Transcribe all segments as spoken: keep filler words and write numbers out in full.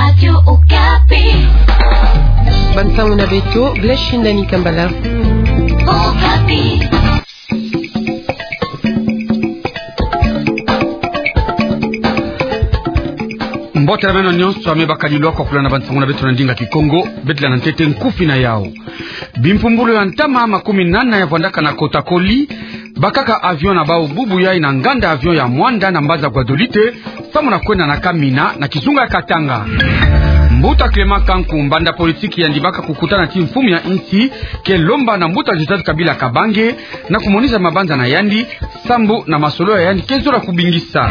Radio Okapi. Bansango na beto, Blaise Shindani Kambala. Okapi. Mbote na beno nyonso, ame bakadi lwaka kulanda bansango na beto na ndinga Kikongo. Beto landa ntete nkufi na yau. Bimpumbulu ya ntama makumi nana ya vwandaka na kota koli, bakaka avion na bau bubu yai na nganda avion ya Muanda na mbanza Guadolite, samu na kwenda na Kamina na kizunga ya Katanga. Mbuta Clément Kanku, mbanda politiki yandi baka kukutana ti mfumu ya insi, ke lomba na mbuta Joseph Kabila Kabange na kumonisa mabanza na yandi, sambu na masolo ya yandi ke zola kubingisa.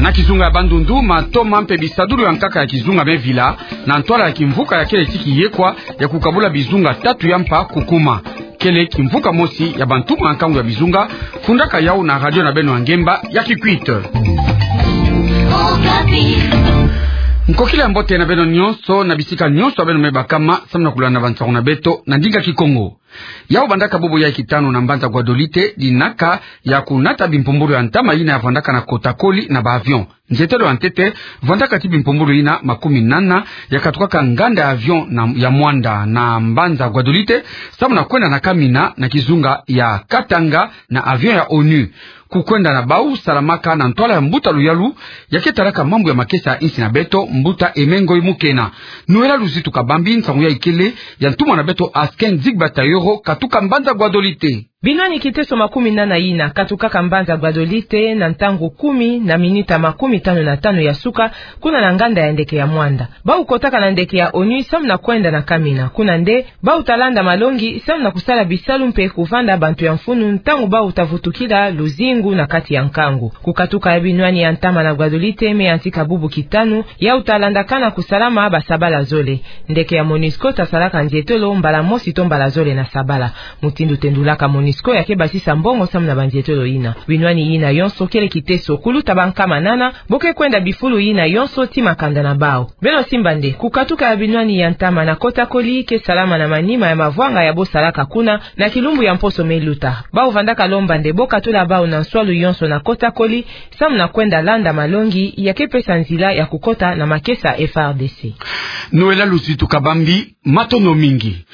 Na kizunga ya Bandundu, matoma mpe bisadulu ya nkaka ya kizunga me vila, na ntwala ya kimvuka ya kele ti kiyekwa ya kukabula bizunga tatu ya mpa kukuma. Kele kimvuka mosi ya bantuma nkangu ya bizunga, fundaka yau na radio na beno ya ngemba ya Kikwit. Nkokila ya mbote na beno nyonso, na bisika nyonso ya beno me bakama, samu na kulanda bansango na beto na ndinga Kikongo. Yau bandaka bubu yai kitanu na mbanza Guadolite, dinaka ya kunata bimpumbulu ya ntama yina ya vwandaka na kota koli na ba avion. Nzietelo ya ntete, vwandaka ti bimpumbulu yina makumi nana ya katukaka nganda ya avion na, ya Muanda na mbanza Guadolite, samu na kwenda na Kamina na kizunga ya Katanga na avion ya onu. Kukwenda na bau salamaka na ntwala ya mbuta Luyalu, ya ke talaka mambu ya makesa ya insi na beto, mbuta Emengo Imukena. Noëlla Luzitu Kabambi, nsangu yai kele ya ntumwa na beto Askin Zigba Tayoro, katuka mbanza Guadolite. Binwani kiteso makumi nana yina katukaka mbanza Guadolite na ntangu kumi na minita makumi tanu na tanu ya suka, kuna na nganda ya ndeke ya Muanda. Bau kotaka na ndeke ya onu samu na kwenda na Kamina. Kuna nde bau ta landa malongi samu na kusala bisalu mpe kuvanda bantu ya mfunu ntangu bau ta vutukila luzingu na kati ya nkangu. Kukatuka ya binwani ya ntama na Guadolite me yantika bubu kitanu, yau ta landakana kusalama basabala zole. Ndeke ya Monusco ta salaka nzietolo mbala mosi to mbala zole na sabala. Mutindu tendulaka Monusco ya ke basisa mbongo samu na banzietolo yina. Binwani yina yonso kele kiteso kuluta bankama nana, bo ke kwenda bifulu yina yonso ti makanda na bau. Beno simba nde, kukatuka ya binwani ya ntama na kota koli ke salama na manima ya mavwanga ya bo salaka kuna, na kilumbu ya mposo me luta. Bau vandaka lomba nde bo katula bau na nswalu yonso na kota koli, samu na kwenda landa malongi ya ke pesa nzila ya kukota na makesa F R D C. Noëlla Luzitu Kabambi, matondo mingi.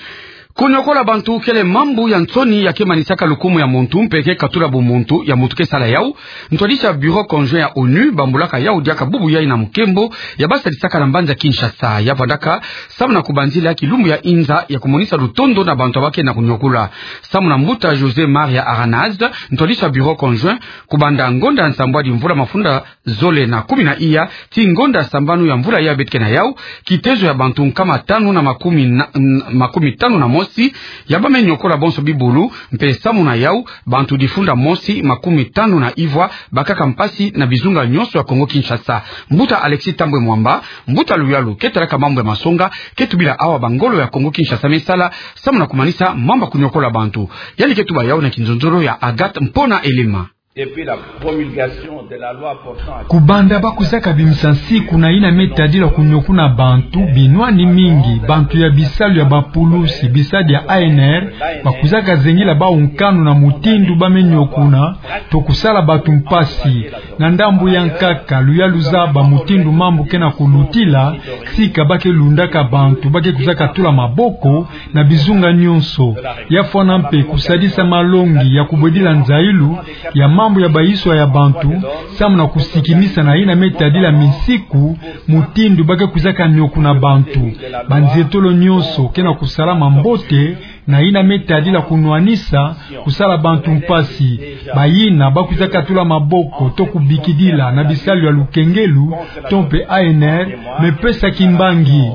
Kuniokola bantu kele mambu ya nsoni ya ke manisaka lukumu ya muntu mpe ke katula bumuntu ya muntu ke sala yau. Ntwadisi ya Bureau Conjoint ya onu bambulaka yau diaka bubu yai na mukembo ya basadisaka na mbanza Kinshasa. Ya vwandaka samu na kubanzila kilumbu ya inza ya kumonisa lutondo na bantu ya ba ke na kuniokola. Samu na mbuta José Maria Aranaz, ntwadisi ya Bureau Conjoint, kubanda ngonda ya nsambwadi mvula mafunda zole na kumi na iya, ti ngonda sambanu ya mvula ya beto ke na yau, kitezo ya bantu nkama tanu na makumi na, n-, makumi tanu na mosi, ya ba me niokola bonso bibulu, mpe samu na yau, bantu difunda mosi makumi tanu na ivwa bakaka mpasi na bizunga nyonso ya Kongo Kinshasa. Mbuta Alexis Thambwe Mwamba, mbuta Luyalu ke talaka mambu ya masonga, ke tubila awa bangolo ya Kongo Kinshasa me sala, samu na kumanisa mamba kuniokola bantu. Yandi ke tuba yau na kinzonzolo ya Agathe Mpona Elema. Depuis la promulgation de la loi portant... Kubanda ba kwizaka bimisa nsiku na yina me tadila kuniokuna bantu, binwani mingi, bantu ya bisalu ya bapulusi, bisadi ya A N R, ba kwizaka zengila bau nkanu na mutindu ba me niokuna, to kusala bantu mpasi. Na ndambu ya nkaka, luyalu zaba mutindu mambu ke na kulutila, sika ba ke lundaka bantu ba ke kwizaka tula maboko na bizunga nyonso. Ya fwana mpe kusadisa malongi ya kubwedila nzayilu ya mambu ya bayiswa ya bantu, samu na kusikimisa na yina me tadila minsiku, mutindu ba ke kwizaka niokuna bantu. Banzietolo nyonso ke na kusalama mbote, na yina me tadila kunwanisa kusala bantu mpasi. Bayina ba kwizaka tula maboko to kubikidila na bisalu ya lukengelu, to mpe A N R me pesa kimbangi.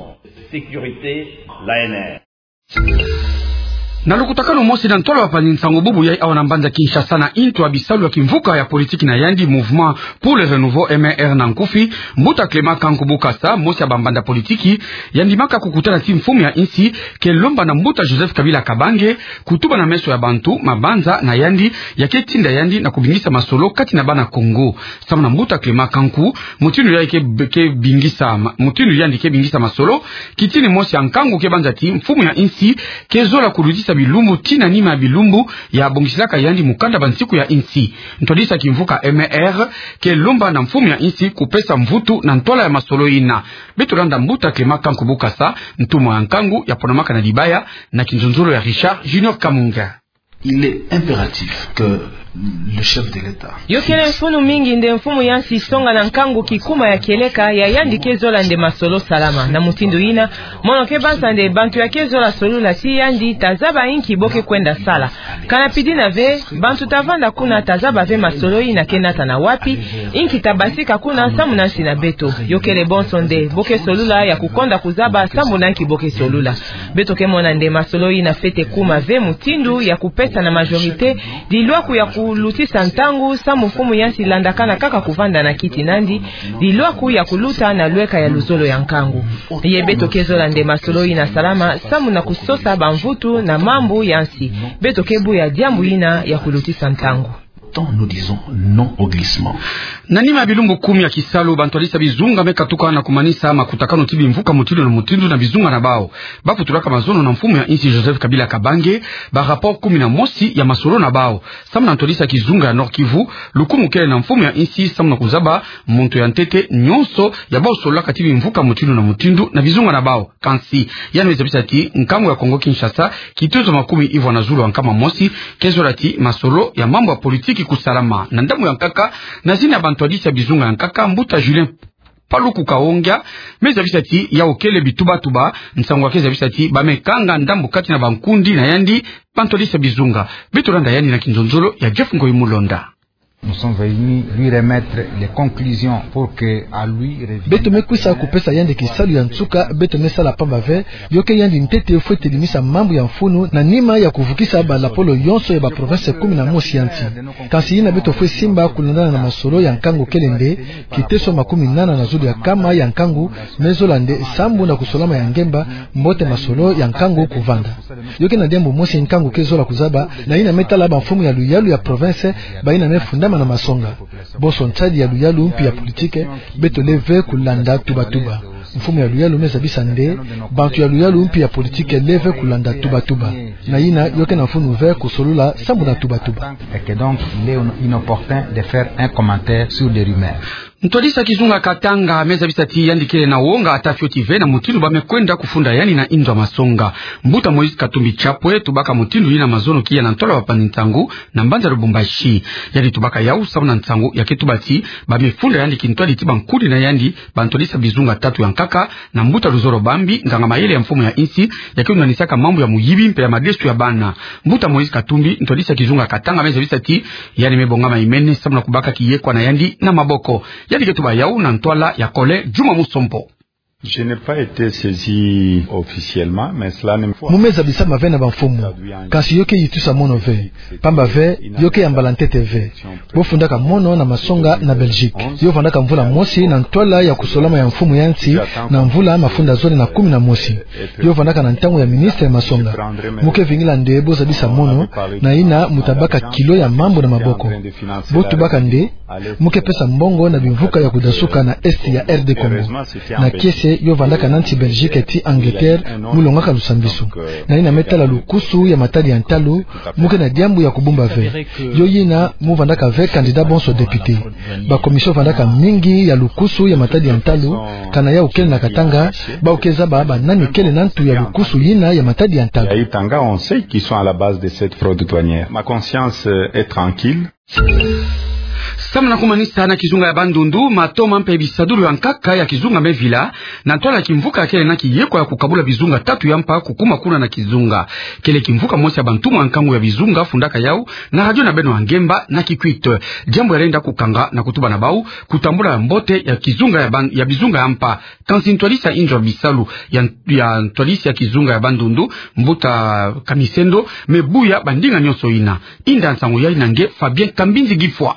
Sécurité, l'A N R. Na lukutakanu mosi na ntwala bapanzi nsangu bubu yai awa na mbanza Kinshasa na intu ya bisalu ya kimvuka ya politiki na yandi, Mouvement pour le Renouveau, M R, na nkufi, mbuta Clément Kanku Bukasa, mosi ya bambanda politiki, yandi maka kukutana ti mfumu ya insi, ke lomba na mbuta Joseph Kabila Kabange kutuba na meso ya bantu mabanza na yandi ya ke tinda yandi na kubingisa masolo kati na bana Kongo. Samu na mbuta Clément Kanku, mutindu yandi ke, ke bingisa ma-, mutindu yandi ke bingisa masolo, kitini mosi ya nkangu ke banza ti mfumu ya insi ke zola kuludisa bilumbu tii na nima ya bilumbu ya bongisilaka yandi mukanda bansiku ya insi. Ntwadisi ya kimvuka M R ke lomba na mfumu ya insi kupesa mvutu na ntwala ya masolo yina. Beto landa mbuta Clément Kanku Bukasa, ntumwa ya nkangu ya ponamaka na Dibaya, na kinzonzolo ya Richard Junior Kamunga. Il est impératif que le chef de l'État... Yo kele mfunu mingi nde mfumu ya nsi songa na nkangu kikuma ya kieleka ya yandi ke zola nde masolo salama. Na mutindu yina, mono ke banza nde bantu ya ke zola solula tii yandi ta zaba inki bo ke kwenda sala. Kana pidina ve, bantu ta vanda kuna ta zaba ve masolo yina ke nata na wapi, inki ta basika kuna samu na nsi na beto. Yo kele bonso nde bo ke solula ya kukonda kuzaba samu na inki bo ke solula. Beto ke mona nde masolo yina fwete kuma ve mutindu ya kupesa na majorité dilwaku ya kulutisa ntangu samu mfumu ya nsi landakana kaka kuvanda na kiti na yandi, dilwaku ya kuluta na lweka ya luzolo ya nkangu. Ye beto ke zola nde masolo yina salama samu na kusosa bamvutu na mambu ya nsi. Beto ke buya diambu yina ya kulutisa ntangu. Tant nous disons non au glissement. Na nima ya bilumbu kumi ya kisalu, bantwadisi ya bizunga me katuka na kumanisa makutakanu ti bimvuka mutindu na mutindu na bizunga na bawu. Ba futulaka mazono na mfumu ya insi Joseph Kabila Kabange ba rapport kumi na mosi ya masolo na bawu. Samu na ntwadisi ya kizunga ya Nord-Kivu, lukumu kele na mfumu ya insi samu na kuzaba muntu ya ntete nyonso ya bawu sololaka ti bimvuka mutindu na mutindu na bizunga na bawu. Kansi, yandi me zabisa ti nkangu ya Congo-Kinshasa, kitezo makumi ivwa na zulu ya nkama mosi, ke zola ti masolo ya mambu ya politiki kusalama. Na ndambu ya nkaka, na zina ya bantwadisi ya bizunga ya nkaka, mbuta Julien Paluku Kahongya me zabisa ti yawu kele bitubatuba, nsangu ya ke zabisa ti ba me kanga ndambu kati na bankundi na yandi bantwadisi ya bizunga. Beto landa yandi na kinzonzolo ya Jeff Ngoyi Mulonda. Nous sommes venus lui remettre les conclusions pour que à lui revienne... Beto me kwisa kupesa yandi kisalu ya nsuka beto me sala, pamba ve yo ke yandi ntete fwete limisa mambu ya mfunu na nima ya kuvukisa balapolo yonso ya baprovince kumi na mosi ya nsi. Kansi yina beto fwe simba kulandana na masolo ya nkangu kele nde, kiteso makumi nana na zulu ya nkama ya nkangu me zola nde sambu na kusolama ya ngemba, mbote masolo ya nkangu kuvanda. Yo ke na diambu mosi nkangu ke zola kuzaba, na yina me tala bamfumu ya luyalu ya province, bayina me fundama na masonga. Bonso nsadi ya luyalu mpi ya politike, beto leve kulanda tubatuba. Mfumu ya luyalu me zabisa nde, bantu ya luyalu mpi ya politike leve kulanda tubatuba. Na yina yo ke na mfunu ve kusolula sambu na tubatuba. Et que donc, il est inopportun de faire un commentaire sur des rumeurs. Ntwadisi ya kizunga Katanga me zabisa ti yandi kele na wonga ata fioti ve na mutindu ba me kwenda kufunda yandi na inzo ya masonga. Mbuta Moïse Katumbi Chapwe tubaka mutindu yina mazono kiya na ntwala bapanzi nsangu na mbanza Lubumbashi. Yandi tubaka yawu samu na nsangu ya ke tuba ti ba me funda yandi kintwadi ti bankudi na yandi, bantwadisi ya bizunga tatu ya nkaka, na mbuta Luzolo Bambi, nganga mayele ya mfumu ya insi, ya ke undanisaka mambu ya muyibi mpe ya madesu ya bana. Mbuta Moïse Katumbi, ntwadisi ya kizunga Katanga, me zabisa ti yandi me bongama imene samu na kubaka kiyekwa na yandi na maboko. Yandi ke tuba yawu na ntwala ya Colin Juma Musompo. Je n'ai pas été saisi officiellement, mais cela ne... Mu me zabisama ve na bamfumu, kansi yo ke yitusa mono ve, pamba ve yo ke yambala ntete ve. Bo fundaka mono na masonga na Belgique. Yo vandaka mvula mosi na ntwala ya kusolama ya mfumu ya nsi, na mvula mafunda zole na kumi na mosi. Yo vandaka na ntangu ya ministre ya masonga. Mu ke vingila nde bo zabisa mono, na yina mu ta baka kilo ya mambu na maboko. Bo tubaka nde, mu ke pesa mbongo na bimvuka ya kudasuka na est ya R D Congo. Na kiese, yo vandaka na nsi Belgique ti Angleterre, mu longaka lusambisu. Na yina me tala lukusu ya matadi ya ntalu, mu ke na diambu ya kubumba ve. Yo yina mu vandaka ve candidat bonso député. Ba commission vandaka mingi ya lukusu ya matadi ya ntalu, kana yawu kele na Katanga, bawu ke zaba ba nani kele na ntu ya lukusu yina ya matadi ya ntalu. Ya Katanga, on sait qui sont à la base de cette fraude douanière. Ma conscience, euh, est tranquille. Samu na kumanisa, na kizunga ya Bandundu, matoma mpe bisadulu ya nkaka ya kizunga me vila, na ntwala ya kimvuka kele na kiyekwa ya kukabula bizunga tatu ya mpa kukuma kuna na kizunga. Kele kimvuka mosi ya bantumwa ya nkangu ya bizunga fundaka yawu na radio na beno ya ngemba na Kikwit. Diambu ya lenda kukanga na kutuba na bawu kutambula ya mbote ya kizunga ya ban-, ya bizunga ya mpa. Kansi ntwadisi ya inzo ya bisalu ya, ya ntwadisi ya kizunga ya Bandundu, mbuta Kamisendo, me buya bandinga nyonso yina. Inda nsangu yayi na nge Fabien Kambinzi Gifwa.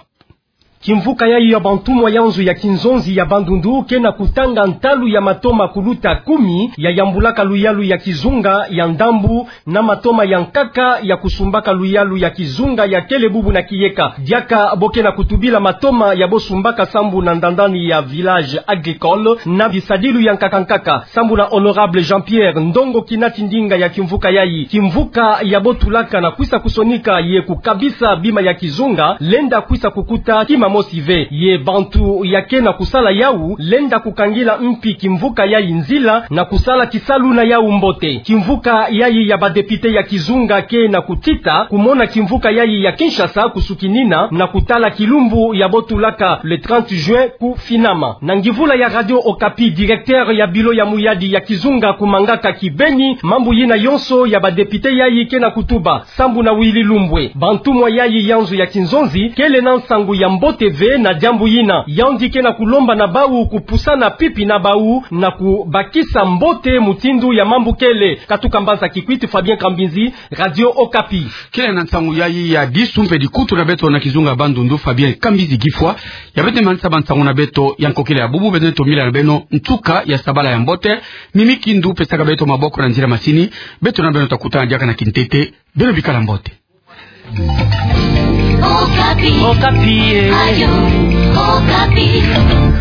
Kimvuka yayi ya bantumwa ya nzo ya kinzonzi ya Bandundu ke na kutanga ntalu ya matoma kuluta kumi ya yambulaka luyalu ya kizunga ya ndambu na matoma ya nkaka ya kusumbaka luyalu ya kizunga ya kele bubu na kiyeka. Diaka bo ke na kutubila matoma ya bo sumbaka sambu na ndandani ya village agricole na bisadilu ya nkaka nkaka. Sambu na Honorable Jean-Pierre Ndongo, kinati ndinga ya kimvuka yayi, kimvuka ya bo tulaka na kwisa kusonika ye kukabisa bima ya kizunga, lenda kwisa kukuta kima mosi ve. Ye bantu ya ke na kusala yawu, lenda kukangila mpi kimvuka yayi nzila na kusala kisalu na yawu mbote. Kimvuka yayi ya ba député ya kizunga ke na kutita kumona kimvuka yayi ya Kinshasa kusukinina na kutala kilumbu ya bo tulaka le trente juin ku finama. Na ngivula ya Radio Okapi, directeur ya bureau ya muyadi ya kizunga kumangaka kibeni mambu yina yonso ya ba député yayi ke na kutuba. Sambu na Willy Lumbwe, bantumwa yayi ya nzo ya kinzonzi kele na nsangu ya mbote ve na diambu yina. Yandi ke na kulomba na bawu kupusana pipi na bawu na kubakisa mbote mutindu ya mambu kele. Katuka mbanza Kikwit, Fabien Kambinzi, Radio Okapi. Kele na nsangu yayi ya disu mpe dikutu na beto na kizunga Bandundu, Fabien Kambinzi Gifwa. Ya beto manisa ba nsangu na beto ya nkokila ya bubu, beto tomila na beno nsuka ya sabala ya mbote. Mimi Kindu pesaka beto maboko na nzila masini. Beto na beno ta kutana diaka na kintete. Beno bikala mbote. Okapi. Okapi, eh. Radio Okapi.